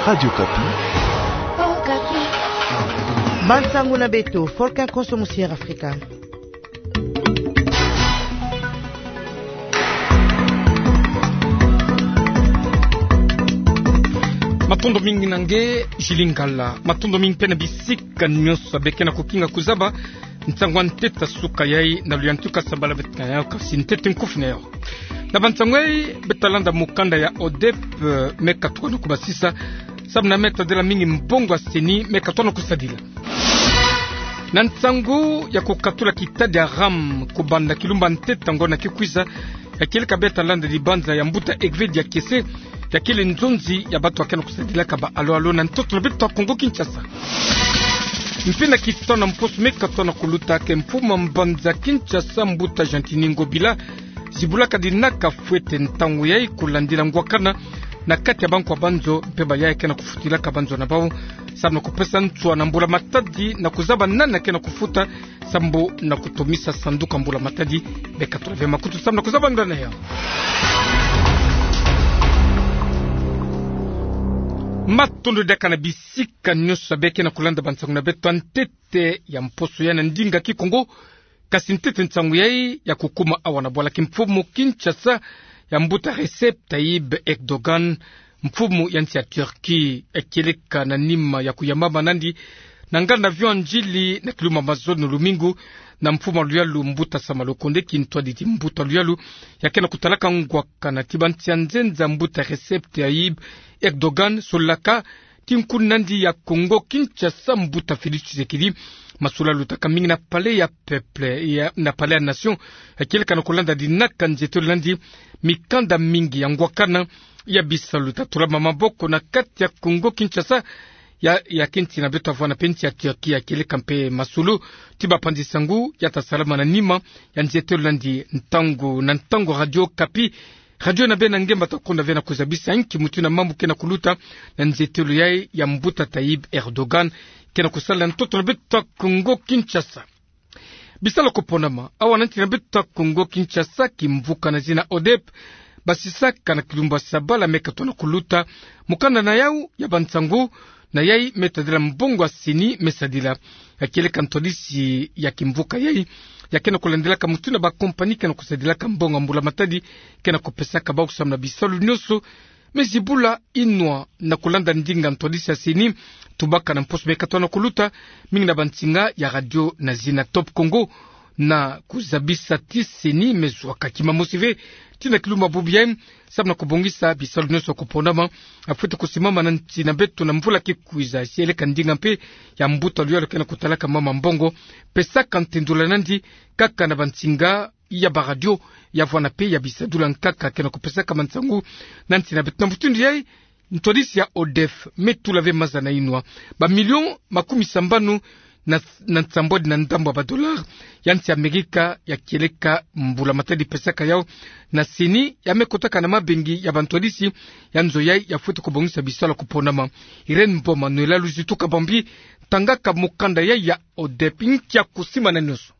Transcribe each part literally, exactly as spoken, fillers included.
Radio Okapi. Bansangu na beto, Volcan Konso mu Sierra Africa. Matondo mingi na nge, Julie Ngala. Matondo mingi mpe na bisika nyonso beke na kukinga kuzaba nsangu a ntete suka yai na luyantika sambala beto na yau, kasi ntete nkufi na yau. Na bansangu yai, beta landa mukanda ya ODEP, eh, me katuka na kubasisa, samu na me tadila mingi mbongo ya CENI me katuka na kusadila. Na nsangu ya kukatula kitadi ya RAM, kubanda kilumba ntete ngonda ke kwiza, ya kieleka beta landa dibanza ya mbuta Egvedi ya Kiese, ya kele nzonzi ya bantu ya ke na kusadilaka ba alo-alo na ntoto na beto Kongo Kinshasa. Mpe na kitano mposo me katuka na kuluta ke mfumu a mbanza Kinshasa mbuta Gentiny Ngobila, zibulaka dinaka fwete ntangu yai kulandila ngwakana na kati ya bankwa banzo mpe bayaya ke na kufutilaka banzo na bau, samu na kupesa nswa na mbula matadi na kuzaba nani ke na kufuta, samu na kutomisa sanduku a mbula matadi. Beka tula ve makutu samu na kuzaba nda na yau. Matondo diaka na bisika nyonso beke na kulanda bansangu na beto a ntete ya mposo ya na ndinga Kikongo. Kasi ntete nsangu yai ya kukuma awa na bwala ki mfumu Kinshasa ya mbuta Recep Tayyip Erdogan, mfumu ya nsi ya Turquie, ya kieleka na nima ya kuyambama nandi na nganda avion ndjili na kilumba mazono lumingu na mfumu a luyalu mbuta Sama Lukonde, kintwadidi mbuta luyalu ya ke na kutalaka ngwakana ti bansi ya nzenza mbuta Recep Tayyip Erdogan, solaka ti nkuna nandi ya Kongo Kinshasa mbuta Félix Tshisekedi. Masolo lutaka mingi na Palais ya Peuple, ya, na Palais ya Nation, ya kieleka na kulanda dinaka nzietelo nandi mikanda mingi ya ngwakana ya bisalu tatulama maboko na kati ya Kongo Kinshasa, ya, ya ke nsi na beto avwana mpe nsi ya Turquie, ya kieleka mpe masolo ti bapanzi sangu ya tasalama na nima ya nzietelo nandi ntangu na ntangu. Radio Okapi, radio na beno na ngemba ta konda ve na kuzabisa nki mutu na mambu ke na kuluta na nzietelo yai ya mbuta Tayyip Erdogan ke na kusala na ntoto na beto Kongo Kinshasa. Bisalu ya kuponama awa na nsi na beto Kongo Kinshasa, kimvuka na zina ODEP, basisaka na kilumba sabala me katuka na kuluta mukanda na yau ya bansangu, na yai me tadila mbongo ya CENI me sadila. Ya kieleka ntwadisi ya kimvuka yai ya ke na kulandilaka mutu na bakompani ke na kusadilaka mbongo ya mbula matadi ke na kupesaka bau samu na bisalu nyonso, me zibula inwa na kulanda ndinga ntwadisi ya CENI, tubaka na mposo me katuka na kuluta, mingi na bansinga ya radio na zina Top Congo, na kuzabisa ti CENI me zwaka kima mosi ve ti na kilumba bubu yai, samu na kubongisa bisalu nyonso ya kuponama, ya fwete kusimama na nsi na beto na mvula ke kwiza. Si eleka ndinga mpe ya mbuta luyalu ke na kutalaka mama mbongo, pesaka ntendula nandi kaka na bansinga ya baradio, ya vwanda mpe ya bisadulu ya nkaka ke na kupesaka bansangu na nsi na beto. Na mbuta ndu yai, ntwadisi ya ODEP me tula ve maza na inwa bamilio makumi sambanu na, na nsambwadi na ndambu ya badolare ya nsi Amerika, ya kieleka mbula matadi pesaka yau na CENI, ya me kotaka na mabengi ya bantwadisi ya nzo yai ya fwete kubongisa bisalu ya kuponama. Irène Mboma, Noëlla Luzitu Kabambi tangaka mukanda yai ya ODEP. Nki ya kusimbana nyonso?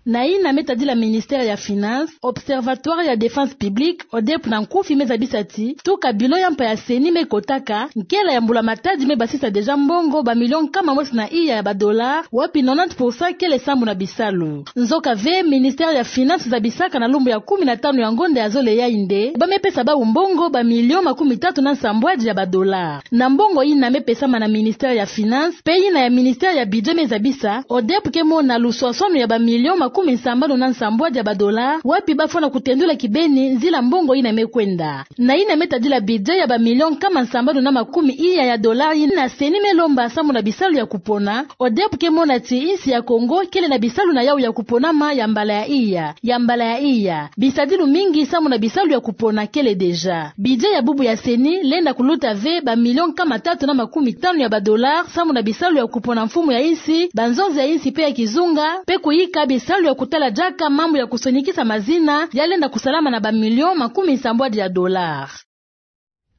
Na yina me tadila ministère ya Finances, Observatoire ya Défense publique, ODEP na nkufi, me zabisa ti tuka bilo ya mpa ya CENI me kotaka, nkela ya mbula matadi me basisa déjà mbongo bamilio nkama mosi na iya ya badolare, wapi nonante pour cent kele sambu na bisalu. Nzoka ve, ministère ya Finances zabisaka na lumbu ya kumi na tanu ya ngonda ya zole yai nde ba me pesa bau mbongo bamilio makumi tatu na nsambwadi ya badolare. Na mbongo yina me pesama na ministère ya Finances, mpe yina ya ministère ya Budget me zabisa, ODEP ke mona luswaswanu ya bamilio makumi sambanu na nsambwadi ya badolare, wapi ba fwana kutendula kibeni nzila mbongo yina me kwenda. Na yina me tadila budget ya bamilio nkama sambanu na makumi iya ya dolare yina CENI me lomba samu na bisalu ya kupona, ODEP ke mona ti insi ya Congo kele na bisalu na yau ya kuponama ya mbala ya iya, ya mbala ya iya. Bisadilu mingi samu na bisalu ya kupona kele déjà. Budget ya bubu ya CENI lenda kuluta ve bamilio nkama tatu na makumi tanu ya badolare samu na bisalu ya kupona mfumu ya insi, banzonzi ya insi mpe ya kizunga, mpe kuyika bisalu ya kutala diaka mambu ya kusonikisa mazina ya lenda kusalama na bamilio makumi sambwadi ya dolare.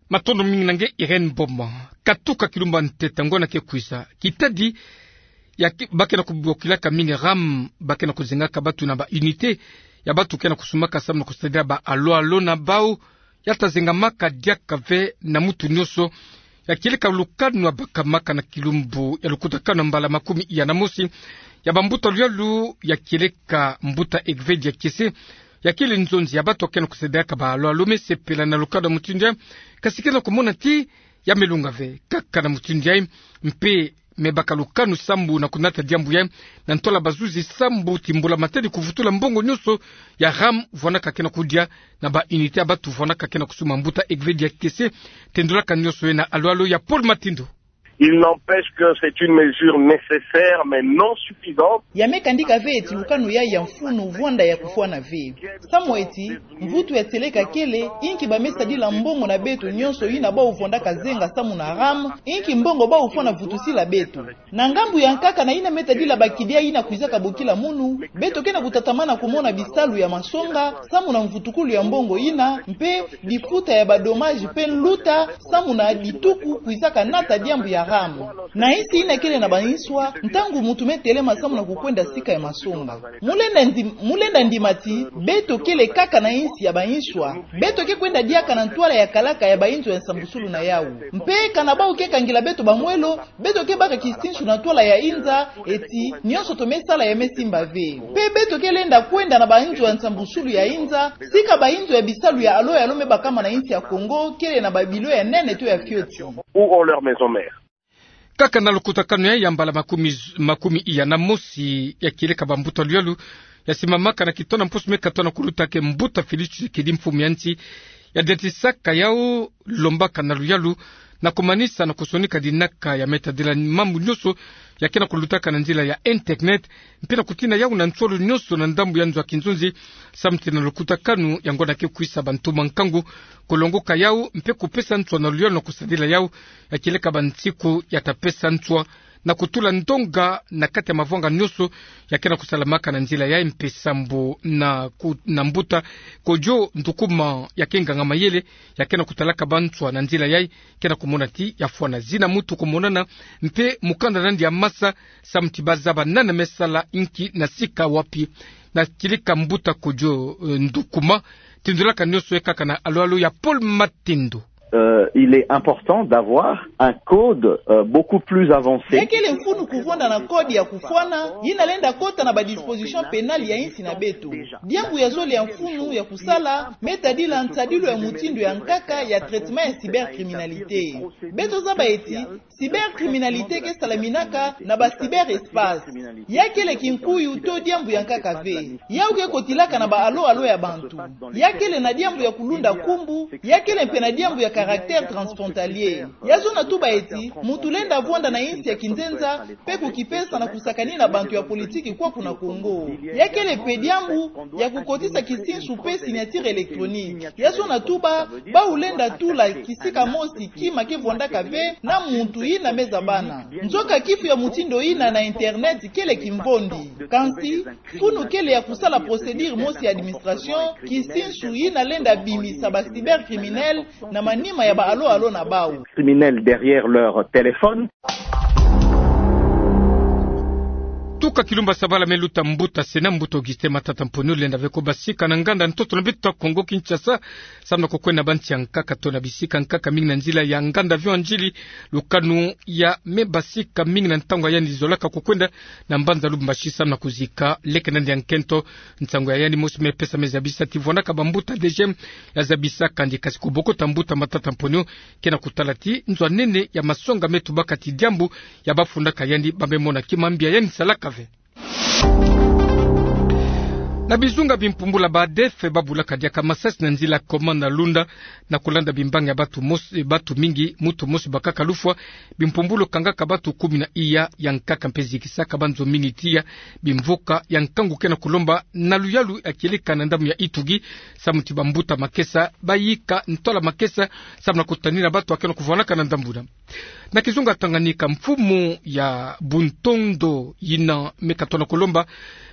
Matondo mingi na nge, Irène Mboma. Katuka kilumba ntete ngonda ke kwiza, kitadi ya ki-, ba ke na kubokilaka mingi RAM, ba ke na kuzengaka bantu na ba unité ya bantu ke na kusumbaka samu na kusadila ba alo-alo na bau, ya tazengamaka diaka ve na mutu nyonso. ya kieleka lukanu ya bakamaka na kilumbu ya lukutakanu ya mbala makumi iya na mosi ya bambuta luyalu, ya kieleka mbuta Egvedia Kese, ya kele nzonzi ya batu akena kusadaka ba alo-alo me sepela na lukanu ya mutindu yayi, kasi kena kumona ti ya melunga ve. Kaka na mutindu yayi, mpe me baka lukanu sambu na kunata diambu yayi na ntwala bazuzi sambu ti mbula-matadi kuvutula mbongo nyonso ya RAM vwandaka kena kudia na ba unité ya batu vwandaka kena kusumba. Mbuta Egvedia Kese tendulaka nyonso yayi na alo-alo ya Paul Matindo. Il n'empêche que c'est une mesure nécessaire, mais non suffisante. Ya me kandika ve ti lukanu yayi ya mfunu vwanda ya kufwana ve. Samu ti mvutu ya tieleka kele, inki ba me sadila mbongo na beto nyonso yina bau vwandaka zenga samu na RAM, inki mbongo bau fwana vutusila beto. Na ngambu ya nkaka, na yina me tadila ba kidia yina kwizaka bokila munu, beto kena kutatamana kumona bisalu ya masonga samu na mvutukulu ya mbongo yina, mpe difuta ya ba dommages mpe nluta samu na dituku kwizaka nata diambu ya RAM. Na insi yina kele na ba inswa, ntangu muntu me telema samu na kukwenda sika ya masonga, mu lenda ndi-, mu lenda ndima ti beto kele kaka na insi ya ba inswa. Beto ke kwenda diaka na ntwala ya kalaka ya ba inzo ya nsambusulu na yau. Mpe kana bau ke kangila beto ba mwelo, beto ke baka kisinsu na ntwala ya inza, ti nyonso to me sala ya me simba ve. Mpe beto ke lenda kwenda na ba inzo ya nsambusulu ya inza, sika ba inzo ya bisalu ya alo-alo me bakama na insi ya Kongo kele na ba bilo ya nene to ya fioti. Où ont leur maison mère. Kaka na lukutakanu yayi ya mbala makumi, makumi iya na mosi ya kieleka bambuta luyalu, ya simbamaka na kitono mposo me katona kuluta ke mbuta Félix Tshisekedi, mfumu ya nsi, ya diatisaka yau, lombaka na luyalu na kumanisa na kusonika dinaka ya me tadila mambu nyonso ya kena kulutaka na nzila ya internet, mpe na kutina yau na nsolo nyonso na ndambu ya nzo ya kinzonzi, samu ti na lukutakanu yango na ke kwisa bantoma nkangu kulongoka yau, mpe kupesa nswa na luyalu na kusadila yau, ya kieleka bansiku ya ta pesa nswa na kutula ndonga na kati ya mavwanga nyonso ya kena kusalamaka na nzila yayi. Mpe sambu na ku-, na mbuta Kojo Ndukuma, ya ke nganga-mayele ya kena kutalaka banswa na nzila yayi, kena kumona ti ya fwana zina mutu kumonana, mpe mukanda na yandi ya masa, samu ti ba zaba nani me sala inki na sika wapi. Na kieleka mbuta Kojo, eh, Ndukuma, tindulaka nyonso yayi kaka na alo-alo ya Paul Matindo. Euh, il est important d'avoir un code, euh, beaucoup plus avancé. Ya kele mfunu kuvwanda na code ya kufwana, yina lenda kota na ba dispositions pénales ya insi na beto. Diambu ya zole ya mfunu ya kusala me tadila nsadilu ya mutindu ya nkaka ya traitement ya cybercriminalité. Beto zaba ti cybercriminalité ke salaminaka na ba cyberespace. Ya kele kinkuyu to diambu ya nkaka ve. Yau ke kotilaka na ba alo-alo ya bantu. Ya kele na diambu ya kulunda kumbu, ya kele mpe na diambu ya caractère transfrontalier. Ya zona tuba ti mutu lenda vwanda na insi ya kinzenza, mpe kukipesa na kusakanina bantu ya politiki kwaku na Kongo. Ya kele mpe diambu ya kukotisa kisinsu mpe signature électronique. Ya zona tuba, bau lenda tula kisika mosi kima ke vwandaka ve na muntu yina me zabana. Nzoka kifu ya mutindu yina na internet kele kimvondi. Kansi, mfunu kele ya kusala procédure mosi ya administration, kisinsu yina lenda bimisa ba cybercriminels na manima ya ba alo-alo na bau. Criminels derrière leur téléphone. Tuka Kilumba Sabala me luta mbuta Sénat, mbuta Augustin Matata Mponyo, lenda ve ko basika na nganda ntoto na beto ta Kongo Kinshasa, samu na kukwenda na bansi ya nkaka to na bisika nkaka mingi na nzila ya nganda avion Ndjili, lukanu ya me basika mingi na ntangu ya yandi zolaka kukwenda na mbanza Lubumbashi samu na kuzika leke na yandi ya nkento. Nsangu ya yandi mosi me pesa, me zabisa ti vwandaka bambuta DGM ya zabisa kandi, kasi kubokota mbuta Matata Mponyo, kena kutala ti nzo ya nene ya masonga me tubaka ti diambu ya bafundaka yandi ba me mona ki mambi ya yandi salaka ve. Na bizunga bimpumbula ba ADF babulaka diaka masasi na nzila Koma na Lunda, na kulanda bimbangi ya batu mos-, batu mingi, mutu mosi bakaka lufwa, bimpumbulu kangaka batu kumi na iya ya nkaka mpe zikisaka banzo mingi tiya bimvuka ya nkangu. Kena kulomba na luyalu ya kieleka na ndambu ya Ituri, samu ti bambuta makesa bayika ntola makesa, samu na kutanina batu akena kuvwanaka na ndambu na Na kizunga Tanganyika, mfumu ya Buntondo yina me katona kulomba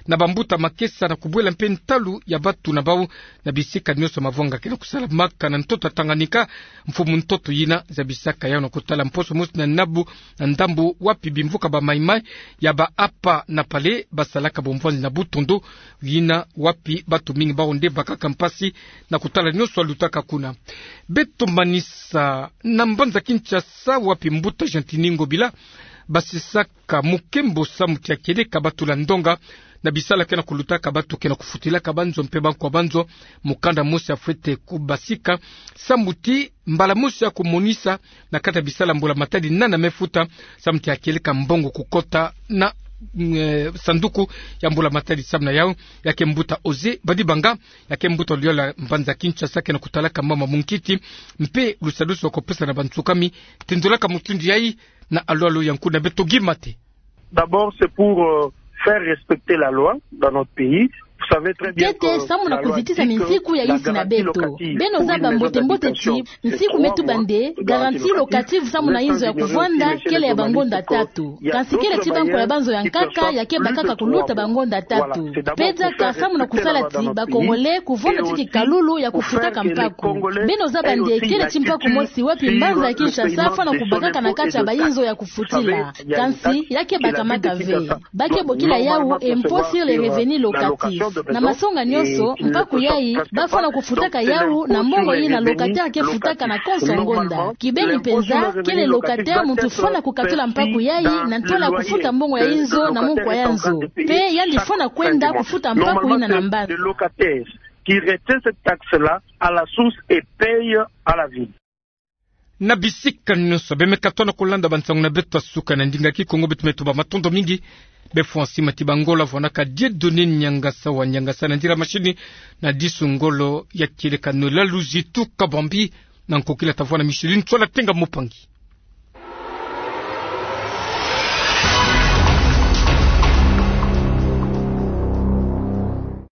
na bambuta makesa na kubwela mpe ntalu ya batu na bau na bisika nionso mavwanga ke na kusalamaka na ntoto ya Tanganyika. Mfumu ntoto yina zabisaka yau na kutala mposo mosi na nabu na ndambu wapi bimvuka ba Maï-Maï ya ba Apa na Palais basalaka bomvwanzi na butondo, yina wapi batu mingi bau nde bakaka mpasi na kutala nionso yalutaka kuna. Beto manisa na mbanza Kinshasa wapi mbuta Gentini Ngobila basisaka mukembo samu ti ya kieleka batu la ndonga na bisala ke na kulutaka batu ke na kufutilaka banzo mpe bankwa banzo. Mukanda mosi yafwete kubasika samu ti mbala mosi ya kumonisa na kati ya bisala mbula matadi nani ya me futa samu ti ya kieleka mbongo kukota na, mm, eh, sanduku ya mbula matadi. Samu na yau, ya ke mbuta Oze Badibanga, ya ke mbuta liola mbanza Kinshasa ke na kutalaka mama munkiti mpe lusadusu wa kupesa na bansukami. Tindolaka mutindu yai na alwalu ya nkuna beto Guy Mate. D'abord, c'est pour, euh, faire respecter la loi dans notre pays. Vous savez très bien que la loi dit que la garantie locative pour une maison d'habitation, c'est trois mois de garantie locative. Ntete samu na kuzitisa minsiku ya yinsi na beto. Beno zaba mbote mbote ti nsiku me tuba nde garantie locative samu na inzo ya kuvwanda kele ya bangonda tatu. Kansi kele ti bankwa ya banzo ya nkaka ya ke bakaka kuluta bangonda tatu. Pe diaka samu na kusala ti ba Congolais kuvwanda ti kikalulu ya kufutaka mpaku. Beno zaba nde kele ti mpaku mosi wapi mbanza ya Kinshasa fwana kubakaka na kati ya bainzo ya kufutila. Kansi ya ke bakamaka ve. Ba ke bokila yau impôt sur les revenus locatifs. Na masonga nionso, mpaku yai ba fwana kufutaka yau na mbongo yina locataire ke futaka na konso ngonda. Kibeni mpenza, kele locataire muntu fwana kukatula mpaku yai na ntwala ya kufuta mbongo ya inzo na munkwa ya nzo. Pe yandi fwana kwenda kufuta mpaku yina na mbanza. Qui retient cette taxe-là à la source et paye à la ville. Na bisika nionso be me katuka na kulanda bansangu na beto ya suka na ndinga Kikongo, beto me tuba matondo mingi. Be fwa nsima ti bangolo vwanaka Dieudonné Niangasa wa Niangasa na ndira mashini, na disu ngolo ya kieleka Noëlla Luzitu Kabambi, na nkokila tavwana Micheline Tsola Tenga Mopangi.